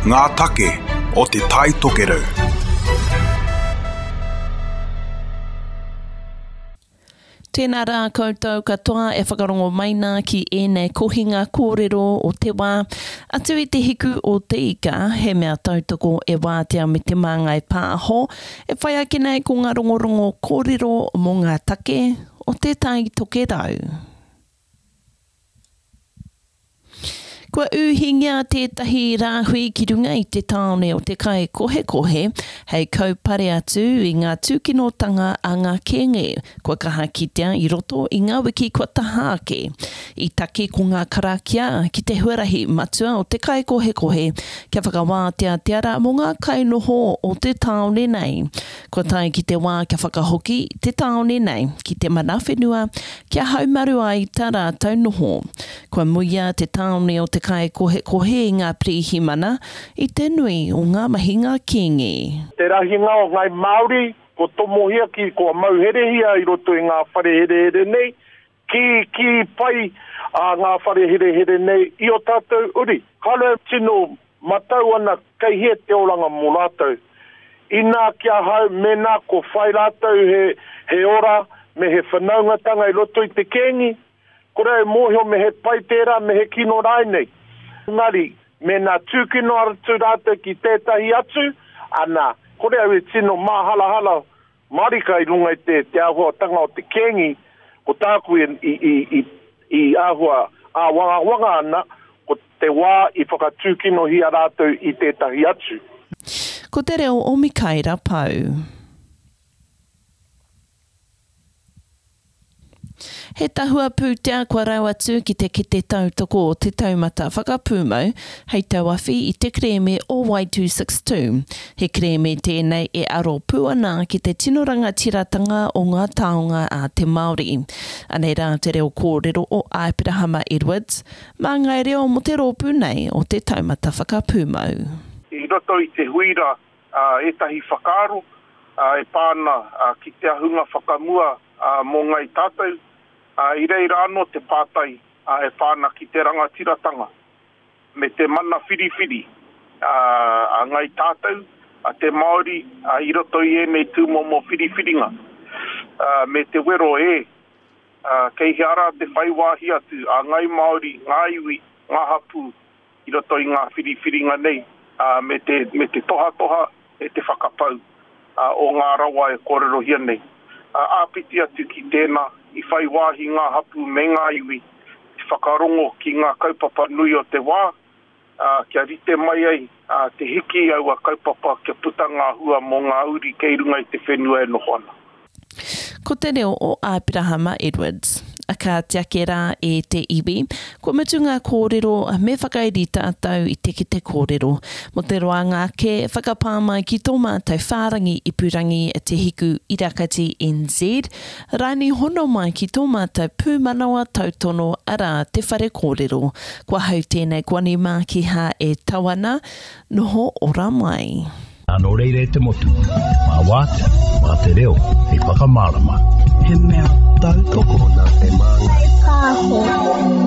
Ngā take o Te Tai Tokerau. Tēnā rā koutou katoa e whakarongo mai nā ki ēnei kohinga kōrero o te wā. Atu i te hiku o te ika, he mea tautoko e Wātea me Te Māngai Pāho, e whai ake nei ko ngā rongorongo kōrero mō ngā take o Te Tai Tokerau. Kua ūhingia tētahi rāhui ki runga i te tāone o Te Kaikohekohe hei kaupare atu i ngā tūkinotanga a ngā kēnge kua kaha kitea i roto i ngā wiki kua taha ake. I taki ko ngā karakia ki te huarahi matua o Te Kaikohekohe kia whakawātea te ara mō ngā kainoho o te tāone nei. Kua tae ki te wā kia whakahoki te tāone nei ki te mana whenua kia haumaru ai tā rātou noho. Kua muia te tāone o Te Kaikohekohe i ngā pirihimana i te nui o ngā mahinga kīngi. Te rahinga o Ngai Māori kua tomohia ki, kua mauherehia i roto i ngā whare herehere nei, kī, kī pai a ngā whare herehere nei i o tātou uri. Kāore tino Matau ana kei hea te oranga mō rātou. Inā ki ahau, mēnā ko whai rātou he, he ora me he whanaungatanga i roto i te kēngi, kore au mōhio me he pai tērā, me he kino rānei. Engari, mēnā tūkino atu rātou ki tētahi atu, ana, kore au e tino māharahara Marika i runga i te, te āhuatanga o te kēngi, ko tāku i, i, i, i, i āhua āwangawanga ana, ko te wā i whakatūkinohia rātou i tētahi atu. Ko te reo o Mikaera Pou. He tahua pūtea kua rau atu ki te kete tautoko o Te Taumata Whakapūmau hei tauawhi i te kerēme o Wai 262. He kerēme tēnei e aro pū ana ki te tino rangatiratanga o ngā taonga a te Māori. Anei rā te reo kōrero o Aperahama Edwards, māngai reo mō te rōpū nei o Te Taumata Whakapūmau. I roto i te hui rā ētahi whakaaro e pā ana ki te ahunga whakamua mō Ngai Tātou, i reira anō te pātai e pā ana ki te rangatiratanga me te mana whiriwhiri a Ngai Tātou, a te Māori i roto i ēnei tūmomo whiriwhiringa me te wero e kei hea rā te whai wāhi atu a Ngai Māori, ngā iwi, ngā hapū i roto i ngā whiriwhiringa nei me te, me te tohatoha me te whakapau o ngā rawa e kōrerohia nei. Āpiti atu ki tēnā, i whai wāhi ngā hapū me ngā iwi te whakarongo ki ngā kaupapa nui o te wā, kia rite mai ai te hiki i aua kaupapa kia puta ngā hua mō ngā uri kei runga i te whenua e noho ana. Ko te reo o Aperahama Edwards. A kāti ake rā e te iwi, kua mutu ngā kōrero, me whakairi tātou i te kete kōrero. Mō te roanga ake, whakapā mai ki tō mātou whārangi ipurangi Te Hiku Irakati NZ, raini hono mai ki tō mātou pūmanawa tautono arā Te Whare Kōrero. Ko ahau tēnei ko Ani Mākiha e tau ana, noho ora mai. Nā nō reira e te motu, mā Wātea, mā te reo hei whakamārama. He mea tautoko. Nā te māngai. Pāho.